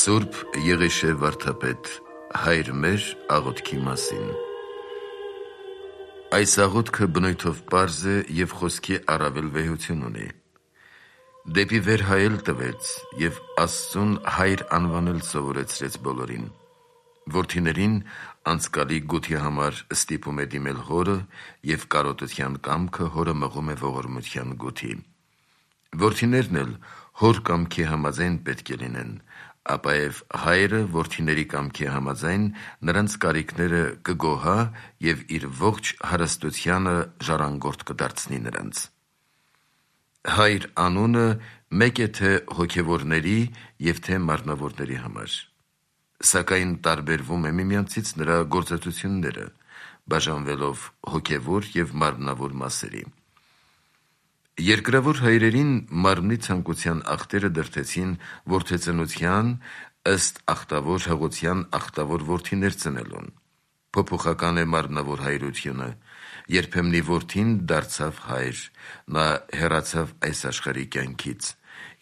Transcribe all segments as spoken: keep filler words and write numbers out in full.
Սուրբ Եղիշե վարդապետ, հայր մեր աղոթքի մասին։ Այս աղոթքը բնույթով պարզ է և խոսքի առավել վեհություն ունի։ Դեպի վեր հայել տվեց և Աստծուն հայր անվանել սովորեցրեց բոլորին։ Որդիներին անցկալի գութի համար ստիպում է դիմել հորը և կարոտության կամքը հորը մղում է ողորմության գութի։ Որդիներն էլ հոր կամքի համաձայն պետք է լինեն, ապաև հայրը որդիների կամքի համաձայն նրանց կարիքները կգոհա և իր ողջ հարստությանը ժառանգորդ կդարձնի նրանց։ Հայր անունը մեկ է թե հոգևորների և թե մարմնավորների համար, սակայն տարբերվում է միմյանցից նրա գործածությունները, բաժանվելով հոգևոր և մարմնավոր մասերի։ Երկրավոր հայրերին մարմնի ցանկության ախտերը դրդեցին որդեծնության ըստ ախտավոր հղության ախտավոր որդիներ ծնելուն։ Փոփոխական է մարմնավոր հայրությունը, երբեմնի որդին դարձավ հայր, նա հեռացավ այս աշխարհի կյանքից,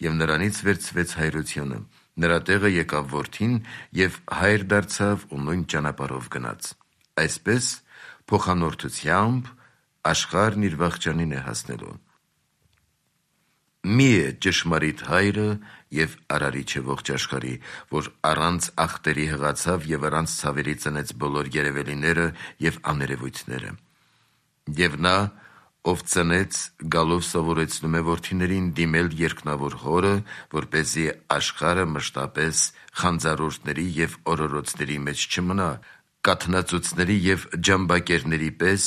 և նրանից վերցվեց հայրությունը, նրա տեղը եկավ որդին և հայր դարձավ ու նույն ճանապարհով գնաց։ Այսպես փոխանորդությամբ աշխարհն իր վախճանին է հասնելու։ Մի է ճշմարիտ հայրը և արարիչը ողջ աշխարհի, որ առանց ախտերի հղացավ և առանց ցավերի ծնեց բոլոր երևելիները և աներևույթները։ Եվ նա, ով ծնեց, գալով սովորեցնում է որդիներին դիմել երկնավոր հորը, որպեսզի աշխարհը մշտապես խանձառորդների և օրորոցների մեջ չմնա, կաթնածուծների և ջամբակերների պես,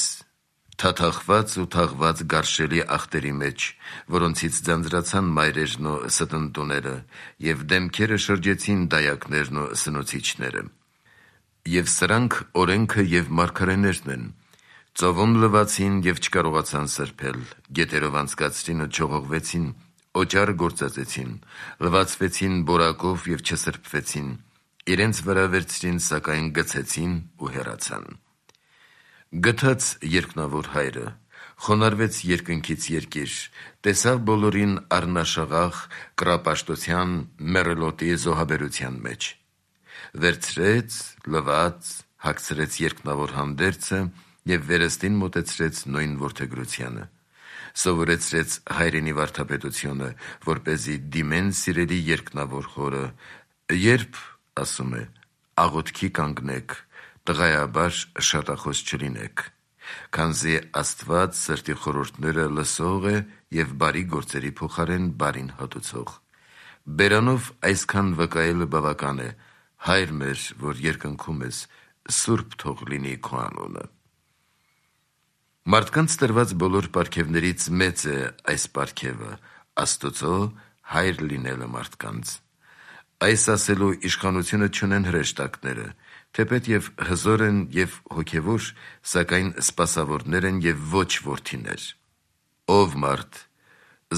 թաթախված ու թաղված գարշելի ախտերի մեջ, որոնցից ձանձրացան մայրերն ու ստընտուները, և դեմքերը շրջեցին դայակներն ու սնուցիչները։ Եվ սրանք օրենքը և մարգարեներն են, ծովում լվացին և չկարողացան սրբել, գետերով անցկացրին ու չողողվեցին, օճառ գործածեցին, լվացվեցին բորակով և չսրբվեցին, իրենց վրա վերցրին, սակայն գցեցին ու հեռացան։ Գթած երկնավոր հայրը խոնարհվեց երկնքից երկիր, տեսավ բոլորին առնաշաղախ կռապաշտության մեռելոտի զոհաբերության մեջ, վերցրեց, լվաց, հագցրեց երկնավոր հանդերձը և վերստին մոտեցրեց նույն որդեգրությանը, սովորեցրեց հայրենի վարդապետությունը, որպեսզի դիմեն սիրելի երկնավոր հորը, երբ, ասում է, աղոթքի կանգնեք, տղայաբար շատախոս չլինեք, քանզի Աստված սրտի խորհուրդները լսող է և բարի գործերի փոխարեն բարին հատուցող։ Բերանով այսքան վկայելը բավական է, Հայր մեր, որ երկնքում ես, սուրբ թող լինի քո անունը։ Մարդկանց տրված բոլոր պարգևներից մեծ է այս պարգևը՝ Աստծո հայր լինելը մարդկանց։ Այս ասելու իշխանությունը չունեն հրեշտակները, թեպետև հզոր են և հոգևոր, սակայն սպասավորներ են և ոչ որդիներ։ Ով մարդ,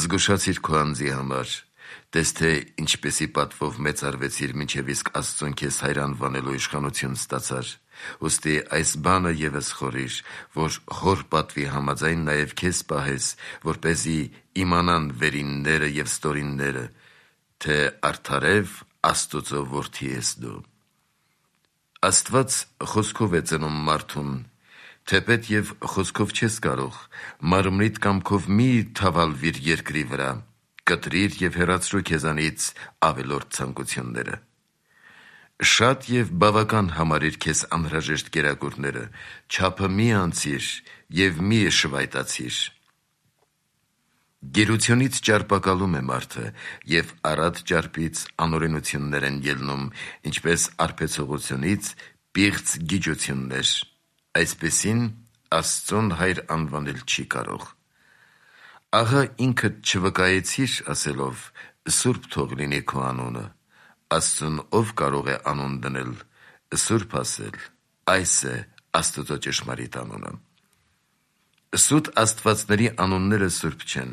զգուշացիր քո անձի համար, տես թե ինչպիսի պատվով մեծարվեցիր, մինչև իսկ Աստծուն քեզ հայր անվանելու իշխանություն ստացար, ուստի այս բանը ևս խորհիր, որ հոր պատվի համաձայն նաև քեզ պահես, որպեսզի իմանան վերինները և ստորինները, թե արդարև Աստուծո որդի ես դու։ Աստված խոսքով է ծնում մարդուն, թեպետև խոսքով չես կարող, մարմնիդ կամքով մի թավալվիր երկրի վրա, կտրիր և հեռացրու քեզանից ավելորդ ցանկությունները։ Շատ և բավական համարիր քեզ անհրաժեշտ կերակուրները, չափը մի անցիր և մի շվայտացիր։ Գերությունից ճարպակալում է մարդը, և առատ ճարպից անօրենություններ են ելնում, ինչպես արբեցողությունից պիղծ գիջություններ, այսպիսին Աստծուն հայր անվանել չի կարող։ Ահա ինքդ չվկայեցիր ասելով. «Սուրբ թող լինի քո անունը», Աստծուն ով կարող է անուն դնել, սուրբ ասել, այս է Աստծո ճշմարիտ անունը։ Սուտ աստվածների անունները սուրբ չեն,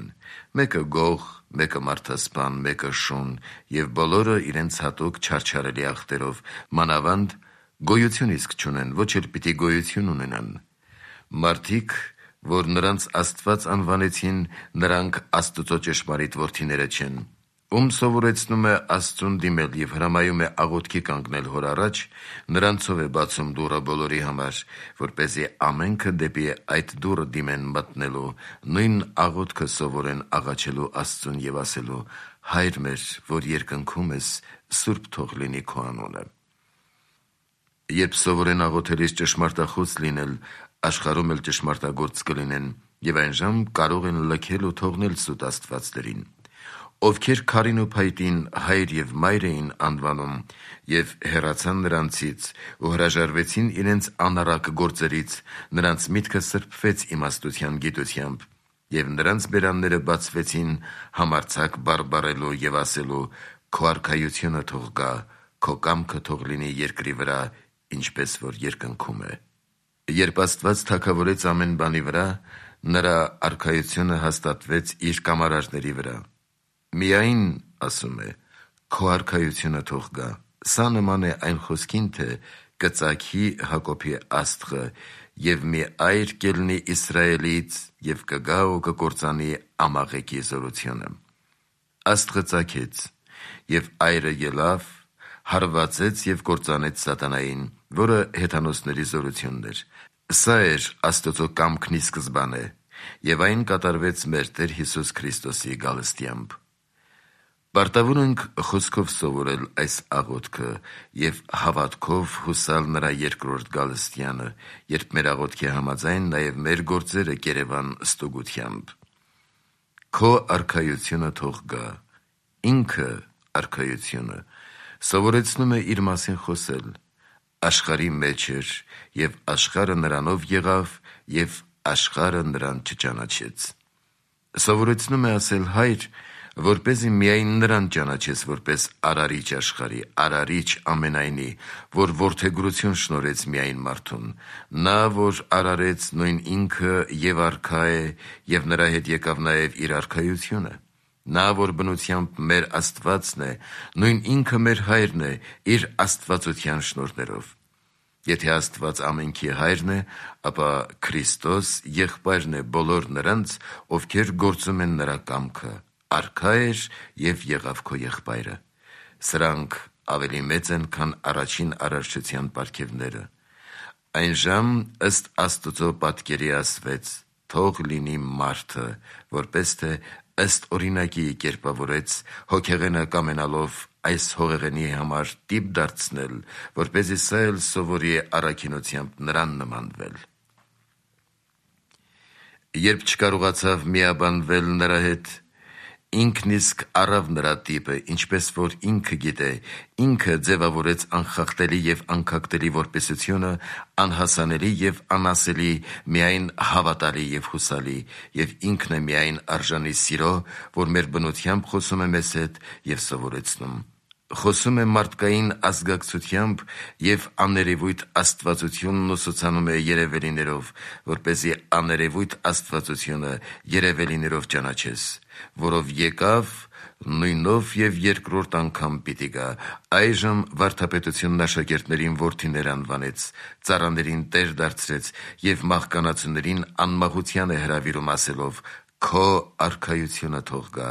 մեկը Գող, մեկը մարդասպան, մեկը Շուն, և բոլորը իրենց հատուկ չարչարելի ախտերով, մանավանդ գոյություն իսկ չունեն, ոչ էլ պիտի գոյություն ունենան։ Մարդիկ, որ նրանց Աստված անվանեցին, նրանք Աստուծո ճշմարիտ որդիները չեն, Ում սովորեցնում է Աստծուն դիմել և հրամայում է աղոթքի կանգնել հոր առաջ, նրանցով է բացում դուռը բոլորի համար, որպեսզի ամենքը դեպի այդ դուռը դիմեն մտնելու, նույն աղոթքը սովորեն աղաչելու Աստծուն և ասելու. «Հայր մեր, որ երկնքում ես, սուրբ թող լինի քո անունը»։ Երբ սովորեն աղոթելիս ճշմարտախոս լինել, աշխարհում էլ ճշմարտագործ կլինեն և այն ժամ կարող են լքել ու թողնել սուտ աստվածներին։ Ովքեր քարին ու փայտին հայր և մայր էին անվանում և հեռացան նրանցից ու հրաժարվեցին իրենց անառակ գործերից, նրանց միտքը սրբվեց իմաստության գիտությամբ, և նրանց բերանները բացվեցին համարձակ բարբառելու և ասելու. «Քո արքայությունը թող գա, քո կամքը թող լինի երկրի վրա, ինչպես որ երկնքում է»։ Երբ Աստված թագավորեց ամեն բանի վրա, նրա արքայությունը հաստատվեց իր կամարարների վրա։ Միայն, ասում է, քո արքայությունը թող գա։ Սա նման է այն խոսքին, թե կծագի Հակոբի աստղը և մի այր կելնի Իսրայելից և կգա ու կկործանի Ամաղեկի զորությունը։ Աստղը ծագեց, և այրը ելավ, հարվածեց և կործանեց սատանային, որը հեթանոսների զորությունն էր։ Սա էր Աստծո կամքն ի սկզբանե, և այն կատարվեց մեր Տեր Հիսուս Քրիստոսի գալստյամբ։ Պարտավոր ենք խոսքով սովորել այս աղոթքը և հավատքով հուսալ նրա երկրորդ գալստյանը, երբ մեր աղոթքի համաձայն նաև մեր գործերը կերևան ստուգությամբ։ Քո արքայությունը թող գա։ Ինքը արքայությունը սովորեցնում է իր մասին խոսել։ Աշխարհի մեջ էր, և աշխարհը նրանով եղավ, և աշխարհը նրան չճանաչեց։ Սովորեցնում է ասել. «Հայր, որպեսզի միայն նրան ճանաչես որպես արարիչ աշխարհի, արարիչ ամենայնի, որ որդեգրություն շնորհեց միայն մարդուն, նա, որ արարեց, նույն ինքը և արքա է, և նրա հետ եկավ նաև իր արքայությունը։ Նա, որ բնությամբ մեր Աստվածն է, նույն ինքը մեր Հայրն է իր աստվածության շնորհներով։ Եթե Աստված ամենքի Հայրն է, ապա Քրիստոս եղբայրն է բոլոր նրանց, ովքեր գործում են նրա կամքը, արքա էր և եղավ քո եղբայրը։ Սրանք ավելի մեծ են, քան առաջին արարչության պարգևները։ Այն ժամ ըստ Աստծո պատկերի ասվեց. «Թող լինի մարդը», որպես թե ըստ օրինակի կերպավորեց, հոգեղենակ ամենալով այս հողեղենի համար տիպ դարձնել, որպեսզի սա էլ սովորի առաքինությամբ նրան նմանվել։ Երբ չկարողացավ միաբանվել նրա հետ, ինքն իսկ առավ նրա տիպը, ինչպես որ ինքը գիտե, ինքը ձևավորեց անխախտելի և անքակտելի որպեսությունը, անհասանելի և անասելի, միայն հավատալի և հուսալի, և ինքն է միայն արժանի սիրո, որ մեր բնությամբ խոսում է մեզ հետ և սովորեցնում։ Խոսում է մարդկային ազգակցությամբ և աներևույթ աստվածությունն ուսուցանում է երևելիներով, որպեսզի աներևույթ աստվածությունը երևելիներով ճանաչես, որով եկավ, նույնով և երկրորդ անգամ պիտի գա։ Այժմ վարդապետությունն աշակերտներին որդիներ անվանեց, ծառաներին տեր դարձրեց և մահկանացուներին անմահության է հրավիրում ասելով. «Քո արքայությունը թող գա»,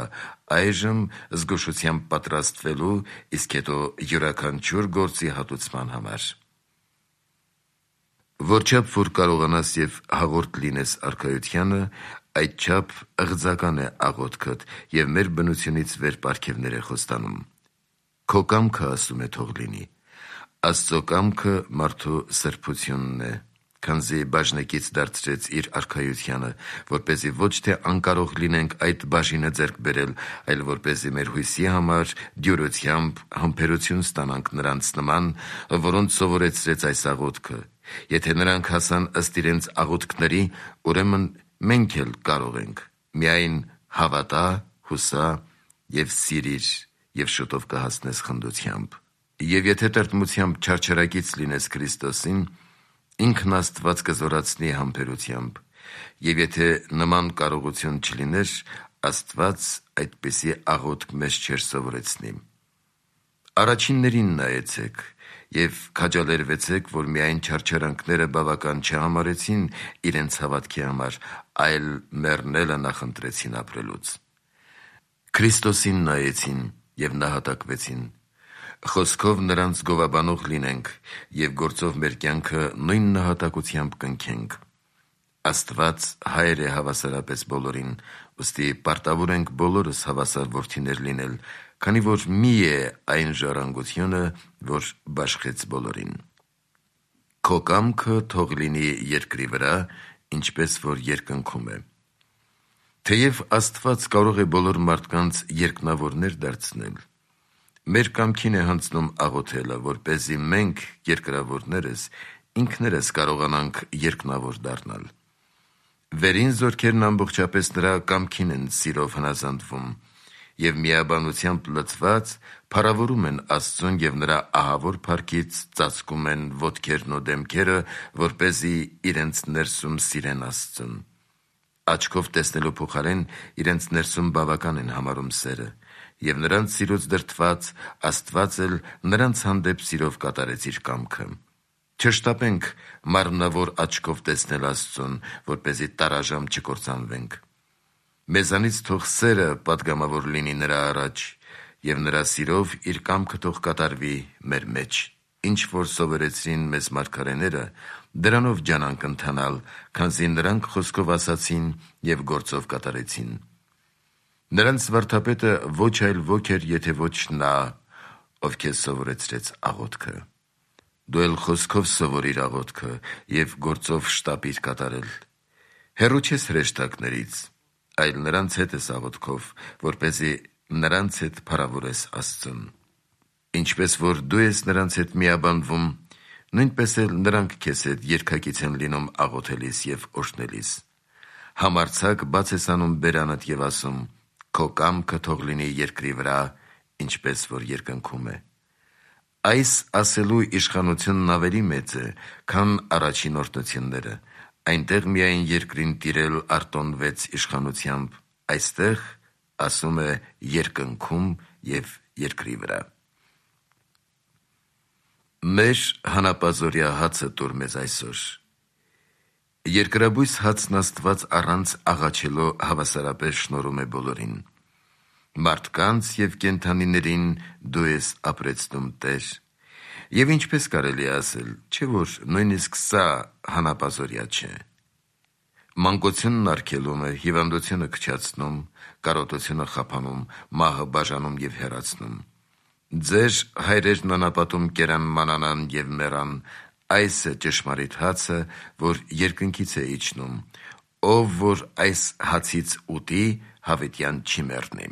այժմ զգուշությամբ պատրաստվելու, իսկ հետո յուրաքանչյուր գործի հատուցման համար։ Որչափ որ կարողանաս և հաղորդ լինես արքայությանը, այդչափ ըղձական է աղոթքդ և մեր բնությունից վեր պարգևներ է խոստանում։ Քո կամքը, ասում է, թող լինի։ Աստծո կամքը մարդու սրբությունն է, քանզի բաժնեկից դարձրեց իր արքայությանը, որպեսզի ոչ թե անկարող լինենք այդ բաժինը ձեռք բերել, այլ որպեսզի մեր հույսի համար դյուրությամբ համբերություն ստանանք նրանց նման, որոնց սովորեցրեց այս աղոթքը։ Եթե նրանք հասան ըստ իրենց աղոթքների, ուրեմն մենք էլ կարող ենք։ Միայն հավատա, հուսա և սիրիր, և շուտով կհասնես խնդությամբ։ Եվ եթե տրտմությամբ չարչարակից լինես Քրիստոսին, ինքն Աստված կզորացնի համբերությամբ, և եթե նման կարողություն չլիներ, Աստված այդպիսի աղոթք մեզ չէր սովորեցնի։ Առաջիններին նայեցեք և քաջալերվեցեք, որ միայն չարչարանքները բավական չհամարեցին իրենց հավատքի համար, այլ մեռնելը նախընտրեցին ապրելուց։ Քրիստոսին նայեցին և նահատակվեցին։ Խոսքով նրանց գովաբանող լինենք և գործով մեր կյանքը նույն նահատակությամբ կնքենք։ Աստված հայր է հավասարապես բոլորին, ուստի պարտավոր ենք բոլորս հավասար որդիներ լինել, քանի որ մի է այն ժառանգությունը, որ բաշխեց բոլորին։ Քո կամքը թող լինի երկրի վրա, ինչպես որ երկնքում է։ Թեև Աստված կարող է բոլոր մարդկանց երկնավորներ դարձնել, մեր կամքին է հանձնում աղոթելը, որպեսզի մենք, երկրավորներս, ինքներս կարողանանք երկնավոր դառնալ։ Վերին զորքերն ամբողջապես նրա կամքին են սիրով հնազանդվում և միաբանությամբ լցված փառավորում են Աստծուն և նրա ահավոր փառքից ծածկում են ոտքերն ու դեմքերը, որպեսզի իրենց ներսում սիրեն Աստծուն։ Աչքով տեսնելու փոխարեն իրենց ներսում բավական են համարում սերը, և նրանց սիրուց դրդված Աստված էլ նրանց հանդեպ սիրով կատարեց իր կամքը։ Չշտապենք մարմնավոր աչքով տեսնել Աստծուն, որպեսզի տարաժամ չկործանվենք։ Մեզանից թող սերը պատգամավոր լինի նրա առաջ, և նրա սիրով իր կամքը թող կատարվի մեր մեջ, ինչ որ սովորեցրին մեզ մարգարեները, դրանով ջանանք ընթանալ, քանզի նրանք խոսքով ասացին և գործով կատարեցին։ Նրանց վարդապետը ոչ այլ ոք էր, եթե ոչ նա, ով քեզ սովորեցրեց աղոթքը։ Դու էլ խոսքով սովորիր աղոթքը և գործով շտապիր կատարել։ Հեռու չես հրեշտակներից, այլ նրանց հետ ես աղոթքով, որպեսզի նրանց հետ փառավորես Աստծուն։ Ինչպես որ դու ես նրանց հետ միաբանվում, նույնպես էլ նրանք քեզ հետ երգակից են լինում աղոթելիս և օրհնելիս։ Համարձակ բաց ես անում բերանդ և ասում. «Քո կամքը թող լինի երկրի վրա, ինչպես որ երկնքում է»։ Այս ասելու իշխանությունն ավելի մեծ է, քան առաջին օրհնությունները։ Այնտեղ միայն երկրին տիրել արտոնվեց իշխանությամբ, այստեղ ասում է երկնքում և երկրի վրա։ Մեր հանապազօրյա հացը տուր մեզ այսօր։ Երկրաբույս հացն Աստված առանց աղաչելու հավասարապես շնորհում է բոլորին։ Մարդկանց և կենդանիներին դու ես ապրեցնում Տեր։ Եվ ինչպես կարելի է ասել, չէ՞ որ նույնիսկ սա հանապազօրյա չէ։ Մանկությունն արգելում է, հիվանդությունը քչացնում, կարոտությունը խափանում, մահը բաժանում և հեռացնում։ Ձեր հայրերն անապատում կերան մանանան և մեռան, այս է ճշմարիտ հացը, որ երկնքից է իջնում, ով որ այս հացից ուտի, հավիտյան չի մեռնի։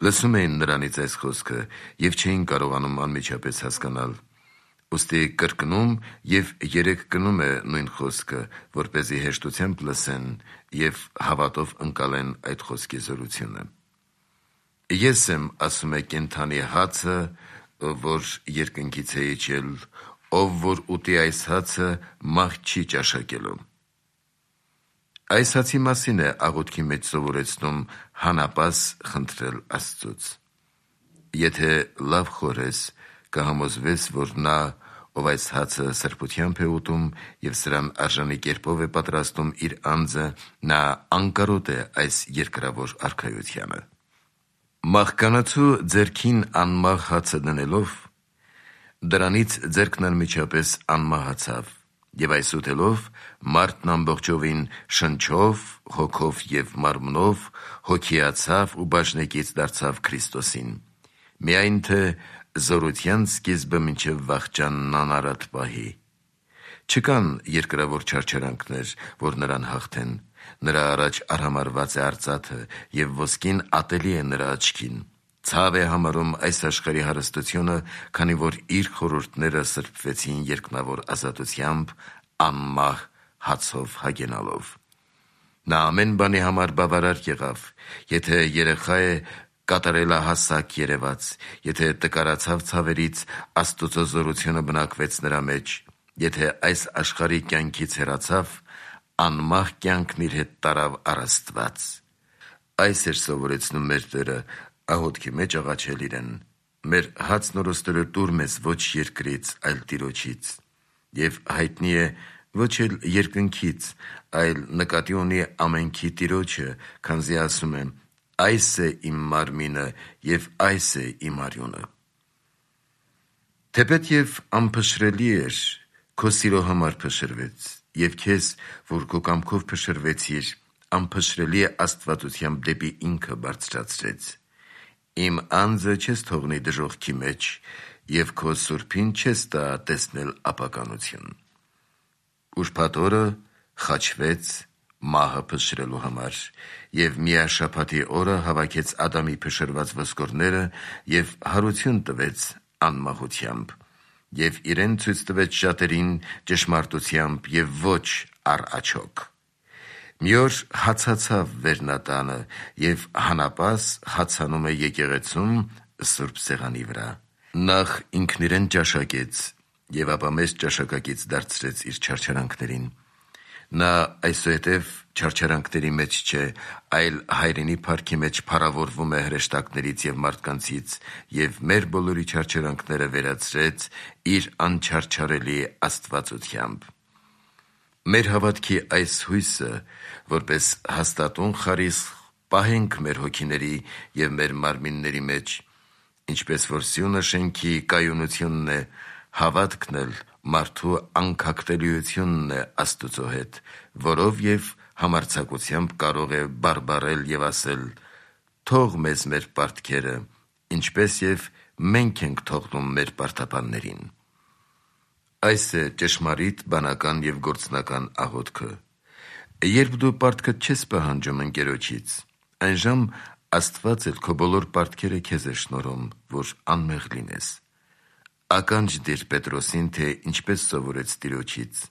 Լսում էին նրանից այս խոսքը և չէին կարողանում անմիջապես հասկանալ։ Ուստի կրկնում և երեք կնում է նույն խոսքը, որպեսզի հեշտությամբ լսեն և հավատով ընկալեն այդ խոսքի զորությունը։ Ես եմ, ասում է, կենդանի հացը, որ երկնքից է իջել, ով որ ուտի այս հացը, մահ չի ճաշակելու։ Այս հացի մասին է աղոթքի մեջ սովորեցնում հանապազ խնդրել Աստծուց։ Եթե լավ խորես, կհամոզվես, որ նա, ով այս հացը սրբությամբ է ուտում և սրան արժանի կերպով է պատրաստում իր անձը, նա անկարոտ է այս երկրավոր արքայությանը։ Մահկանացու ձեռքին անմահ հացը դնելով, դրանից ձեռքն անմիջապես անմահացավ, և այս ուտելով մարդն ամբողջովին շնչով, հոգով և մարմնով հոգիացավ ու բաժնեկից դարձավ Քրիստոսին, միայն թե զորության սկիզբը մինչև վախճանն անարատ պահի։ Չկան երկրավոր չարչարանքներ, որ նրան հաղթեն, նրա առաջ արհամարհված է արծաթը, և ոսկին ատելի է նրա աչքին։ Ցավ է համարում այս աշխարհի հարստությունը, քանի որ իր խորհուրդները սրբվեցին երկնավոր ազատությամբ, անմահ հացով հագենալով։ Նա ամեն բանի համար բավարար եղավ, եթե երեխա է, կատարելահասակ երևաց, եթե տկարացավ ցավերից, Աստուծո զորությունը բնակվեց նրա մեջ, եթե այս աշխարհի կյանքից հեռացավ, անմահ կյանքն իր հետ տարավ առ Աստված։ Այս էր սովորեցնում մեր Տերը աղոթքի մեջ աղաչել իրեն. «Մեր հացն օրօրստելը տուր մեզ ոչ երկրից, այլ Տիրոջից»։ Եվ հայտնի է ոչ էլ երկնքից, այլ նկատի ունի ամենքի Տիրոջը, քանզի ասում է. այս է իմ մարմինը և այս է իմ արյունը։ Թեպետ և անփշրելի էր, քո սիրո համար փշրվեց, և քեզ, որ քո կամքով փշրվեցիր, անփշրելի աստվածությամբ դեպի ինքը բարձրացրեց։ Իմ անձը չես թողնի դժոխքի մեջ, և քո սուրբին չես տա տեսնել ապականություն։ Ուրբաթ օրը խաչվեց մահը փշրելու համար, և միաշաբաթի օրը հավաքեց Ադամի փշրված ոսկորները և հարություն տվեց անմահությամբ, և իրեն ցույց տվեց շատերին ճշմարտությամբ և ոչ առ աչոք։ Մի օր հացացավ վերնատանը, և հանապաս հացանում է եկեղեցում սուրբ սեղանի վրա։ Նախ ինքն իրեն ճաշակեց, և ապա մեզ ճաշակակից դարձրեց իր չարչարանքներին։ Նա այսուհետև չարչարանքների մեջ չէ, այլ հայրենի փառքի մեջ փառավորվում է հրեշտակներից և մարդկանցից, և մեր բոլորի չարչարանքները վերացրեց իր անչարչարելի աստվածությամբ։ Մեր հավատքի այս հույսը, որպես հաստատուն խարիսխ, պահենք մեր հոգիների և մեր մարմինների մեջ, ինչպես որ սյունը շենքի կայունությունն է, հավատքն էլ մարդու անքակտելիությունն է Աստուծո հետ, որով և համարձակությամբ կարող է բարբառել և ասել. «Թող մեզ մեր պարտքերը, ինչպես և մենք ենք թողնում մեր պարտապաններին»։ Այս է ճշմարիտ բանական և գործնական աղոթքը։ Երբ դու պարտքդ չես պահանջում ընկերոջից, այնժամ Աստված էլ քո բոլոր պարտքերը քեզ է շնորհում, որ անմեղ լինես։ Ականջ դիր Պետրոսին, թե ինչպես սովորեց Տիրոջից։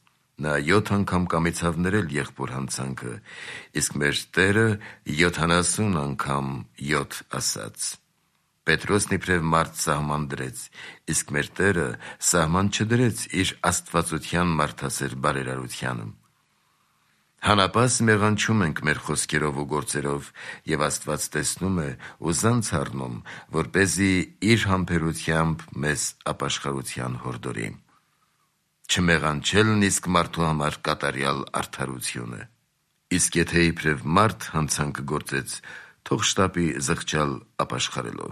Նա յոթ անգամ կամեցավ ներել եղբոր հանցանքը, իսկ մեր Տերը յոթանասուն անգամ յոթ ասաց։ Պետրոսն իբրև մարդ սահման դրեց, իսկ մեր Տերը սահման չդրեց իր աստվածության մարդասեր բարերարությանը։ Հանապաս մեղանչում ենք մեր խոսքերով ու գործերով, և Աստված տեսնում է ու զանց առնում, որպեսզի իր համբերությամբ մեզ ապաշխարության հորդորի։ Չմեղանչելն իսկ մարդու համար կատարյալ արդարություն է։ Իսկ եթե իբրև մարդ հանցանք գործեց, թող շտապի զղջալ ապաշխարելով։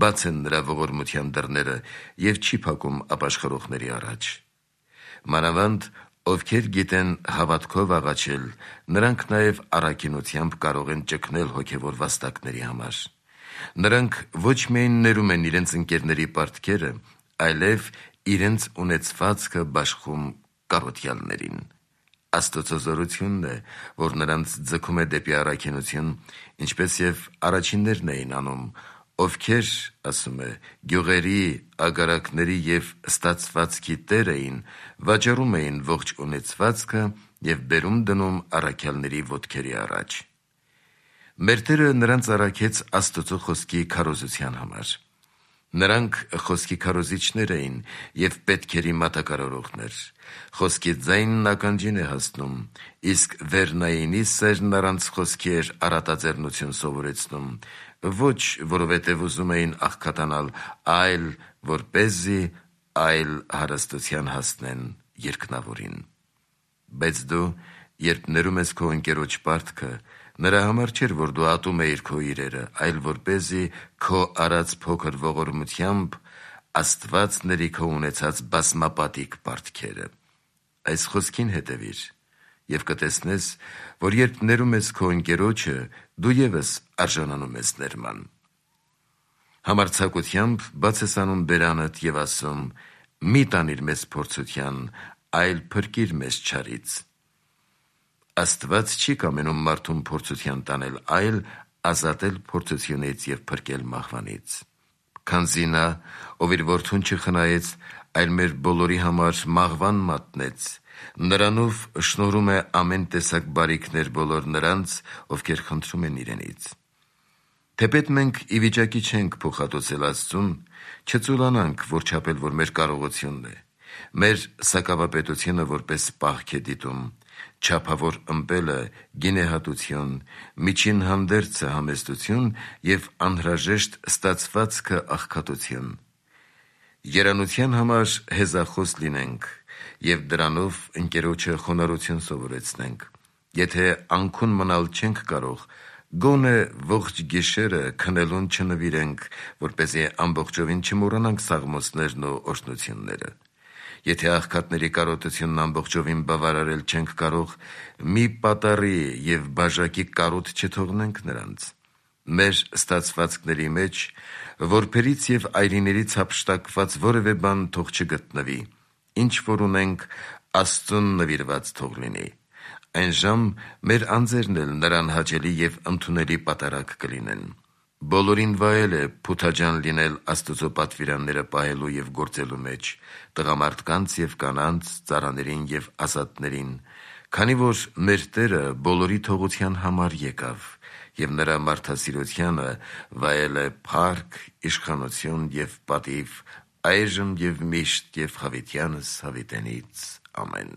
Բաց են նրա ողորմության դռները և չի փակում ապաշխարողների առաջ։ Մանավանդ, ովքեր գիտեն հավատքով աղաչել, նրանք նաև առաքինությամբ կարող են ճգնել հոգևոր վաստակների համար։ Նրանք ոչ միայն ներում են իրենց ընկերների պարտքերը, այլև իրենց ունեցվածքը բաշխում կարոտյալներին։ Աստծո զորությունն է, որ նրանց ձգում է դեպի առաքինություն, ինչպես և առաջիններն էին անում, ովքեր, ասում է, գյուղերի, ագարակների և ստացվածքի տեր էին, վաճառում էին ողջ ունեցվածքը և բերում դնում առաքյալների ոտքերի առաջ։ Մեր Տերը նրանց առաքեց Աստծո խոսքի քարոզության համար։ Նրանք խոսքի քարոզիչներ էին և պետքերի մատակարարողներ։ Խոսքի ձայնն ականջին է հասնում, իսկ Վերնայինի սերն առանց խոսքի էր առատաձեռնություն սովորեցնում, ոչ որովհետև ուզում էին աղքատանալ, այլ որպեսզի այլ հարստության հասնեն երկնավորին։ Բայց դու, երբ ներում ես քո ընկերոջ պարտքը, նրա համար չէր, որ դու ատում էիր քո իրերը, այլ որպեսզի քո արած փոքր ողորմությամբ Աստված ների քո ունեցած բազմապատիկ պարտքերը։ Այս խոսքին հետևիր, և կտեսնես, որ երբ ներում ես քո ընկերոջը, դու ևս արժանանում ես ներման։ Համարձակությամբ բաց ես անում բերանդ և ասում. «Մի տանիր մեզ փորձության, այլ փրկիր մեզ չարից»։ Աստված չի կամենում մարդուն փորձության տանել, այլ ազատել փորձությունից և փրկել մահվանից։ Քանզի նա, ով իր որդուն չխնայեց, այլ մեր բոլորի համար մահվան մատնեց, նրանով շնորհում է ամեն տեսակ բարիքներ բոլոր նրանց, ովքեր խնդրում են իրենից։ Թեպետ մենք ի վիճակի չենք փոխհատուցել Աստծուն, չծուլանանք, որչափել որ մեր կարողությունն է։ Մեր սակավապետությունը որպես պահք է դիտում, չափավոր ըմպելը գինեհատություն, միջին հանդերձը համեստություն և անհրաժեշտ ստացվածքը աղքատություն։ Երանության համար հեզախոս լինենք և դրանով ընկերոջը խոնարհություն սովորեցնենք։ Եթե անքուն մնալ չենք կարող, Գոնե ողջ գիշերը քնելուն չնվիրենք, որպեսզի ամբողջովին չմոռանանք սաղմոսներն ու օրհնությունները։ Եթե աղքատների կարոտությունն ամբողջովին բավարարել չենք կարող, մի պատառի և բաժակի կարոտ չթողնենք նրանց։ Մեր ստացվածքների մեջ որբերից և այրիներից հափշտակված որևէ բան թող չգտնվի, ինչ որ ունենք, Աստծուն նվիրված թող լինի։ Այնժամ մեր անձերն էլ նրան հաճելի և ընդունելի պատարագ կլինեն։ Բոլորին վայել է փութաջան լինել Աստծո պատվիրանները պահելու և գործելու մեջ, տղամարդկանց և կանանց, ծառաներին և ազատներին, քանի որ մեր Տերը բոլորի թողության համար եկավ, և նրա մարդասիրությանը վայել է փառք, իշխանություն և պատիվ, այժմ և միշտ և հավիտյանս հավիտենից։ Ամեն։